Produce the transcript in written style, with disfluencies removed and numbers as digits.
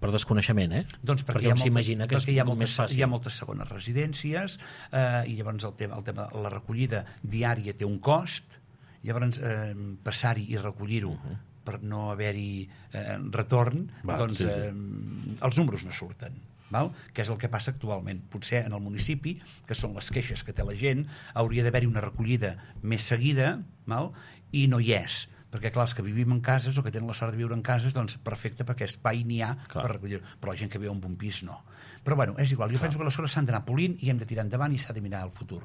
Per desconeixement, Doncs perquè un s'imagina que és més fàcil. Hi ha moltes segones residències i llavors el tema de la recollida diària té un cost, llavors passar-hi i recollir-ho per no haver-hi retorn, els números no surten. Que és el que passa actualment. Potser en el municipi, que són les queixes que té la gent, hauria d'haver-hi una recollida més seguida, i no hi és, perquè clar, els que vivim en cases o que tenen la sort de viure en cases, doncs perfecte, perquè espai n'hi ha per recollir, però la gent que viu en un pis no. Però bueno, és igual, jo penso que les coses s'han d'anar polint i hem de tirar endavant i s'ha de mirar al futur.